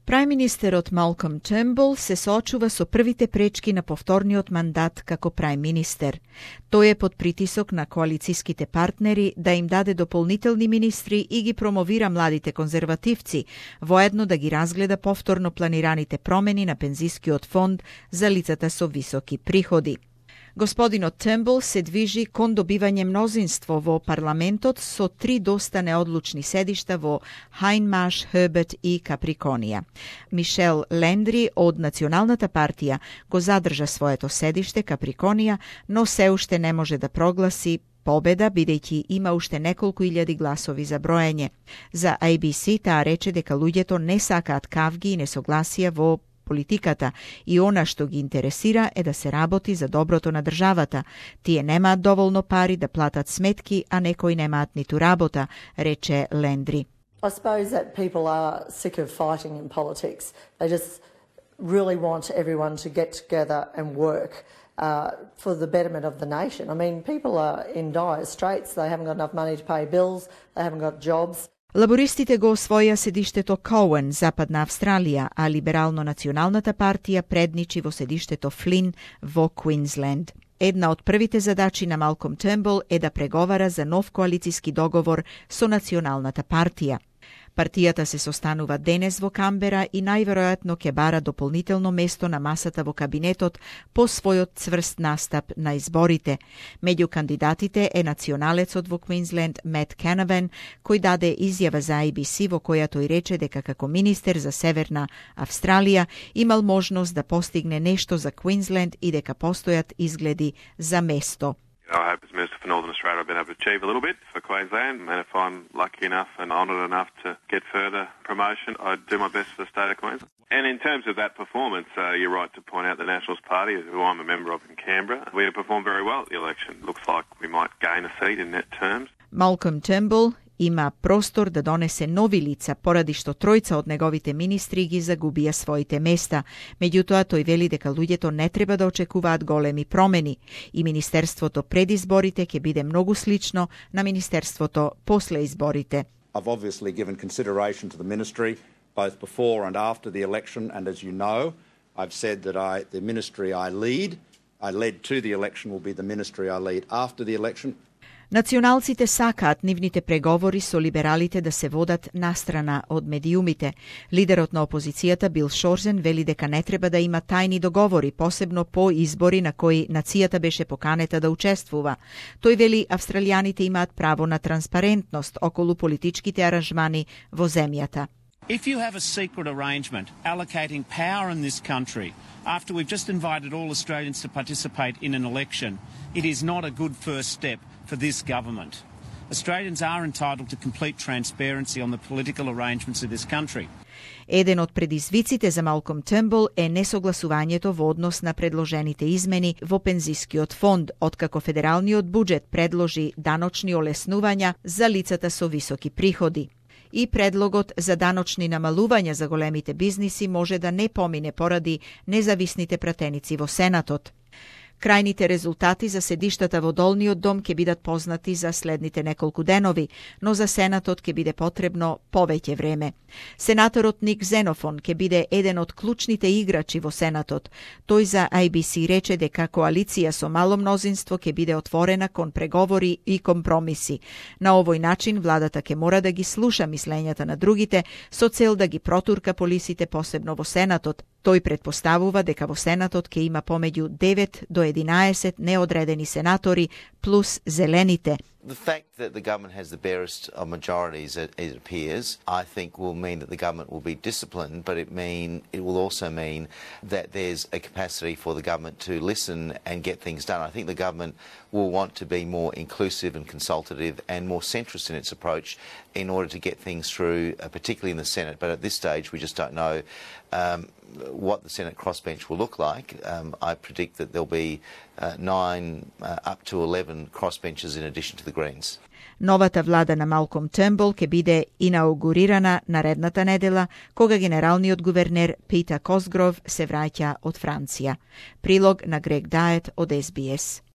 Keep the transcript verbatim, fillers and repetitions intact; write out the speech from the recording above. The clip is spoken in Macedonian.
Прајминистерот Малком Тембл се соочува со првите пречки на повторниот мандат како прајминистер. Тој е под притисок на коалициските партнери да им даде дополнителни министри и ги промовира младите конзервативци, воедно да ги разгледа повторно планираните промени на пензискиот фонд за лицата со високи приходи. Господинот Тембл се движи кон добивање мнозинство во парламентот со три доста неодлучни седишта во Хајнмаш, Херберт и Каприконија. Мишел Лендри од Националната партија го задржа своето седиште Каприконија, но се уште не може да прогласи победа, бидејќи има уште неколку илјади гласови за броење. За А Б С таа рече дека луѓето не сакаат кавги и несогласија во политиката и она што ги интересира е да се работи за доброто на државата. Тие немаат доволно пари да платат сметки, а некои немаат ниту работа, рече Лендри. I suppose that people are sick of fighting in politics. They just really want everyone to get together and work uh, for the betterment of the nation. I mean, people are in dire straits. They haven't got enough money to pay bills. They haven't got jobs. Лабористите го освоја седиштето Коуен, Западна Австралија, а Либерално-националната партија предничи во седиштето Флин во Квинсленд. Една од првите задачи на Малком Тембл е да преговара за нов коалициски договор со Националната партија. Партијата се состанува денес во Камбера и најверојатно ќе бара дополнително место на масата во кабинетот по својот цврст настап на изборите. Меѓу кандидатите е националецот во Квинсленд Мет Канавен, кој даде изјава за А Б С во која тој рече дека како министер за Северна Австралија имал можност да постигне нешто за Квинсленд и дека постојат изгледи за место. I hope as Minister for Northern Australia I've been able to achieve a little bit for Queensland, and if I'm lucky enough and honoured enough to get further promotion, I'd do my best for the state of Queensland. And in terms of that performance, uh, you're right to point out the Nationals Party, who I'm a member of in Canberra. We have performed very well at the election. Looks like we might gain a seat in net terms. Малком Тембл има простор да донесе нови лица, поради што тројца од неговите министри ги загубија своите места. Меѓутоа, тој вели дека луѓето не треба да очекуваат големи промени и министерството пред изборите ќе биде многу слично на министерството после изборите. I've obviously given consideration to the ministry both before and after the election, and as you know, I've said that I, the ministry I lead, I led to the election, will be the ministry I lead after the election. Националците сакаат нивните преговори со либералите да се водат настрана од медиумите. Лидерот на опозицијата Бил Шорзен вели дека не треба да има тајни договори, посебно по избори на кои нацијата беше поканета да учествува. Тој вели австралијаните имаат право на транспарентност околу политичките аранжмани во земјата. If you have a secret arrangement allocating power in this country after we've just invited all Australians to participate in an election, it is not a good first step for this government. Australians are entitled to complete transparency on the political arrangements of this country. Еден од предизвиците за Малком Тембл е несогласувањето во однос на предложените измени во пензискиот фонд, откако федералниот буџет предложи даночни олеснувања за лицата со високи приходи. И предлогот за даночни намалувања за големите бизниси може да не помине поради независните пратеници во Сенатот. Крајните резултати за седиштата во Долниот дом ќе бидат познати за следните неколку денови, но за Сенатот ќе биде потребно повеќе време. Сенаторот Ник Зенофон ќе биде еден од клучните играчи во Сенатот. Тој за А Б С рече дека коалиција со мало мнозинство ќе биде отворена кон преговори и компромиси. На овој начин владата ќе мора да ги слуша мислењата на другите со цел да ги протурка полисите посебно во Сенатот. Тој предпоставува дека во Сенатот ќе има помеѓу девет до единаесет неодредени сенатори плюс зелените. The fact that the government has the barest of majorities, it, it appears, I think will mean that the government will be disciplined, but it mean it will also mean that there's a capacity for the government to listen and get things done. I think the government will want to be more inclusive and consultative and more centrist in its approach in order to get things through, uh, particularly in the Senate. But at this stage, we just don't know um, what the Senate crossbench will look like. Um, I predict that there'll be uh, nine uh, up to eleven crossbenches in addition to the Greens. Новата влада на Малком Тембл ќе биде инаугурирана наредната недела, кога генералниот гувернер Питер Косгров се враќа од Франција. Прилог на Грег Дает од С Б С.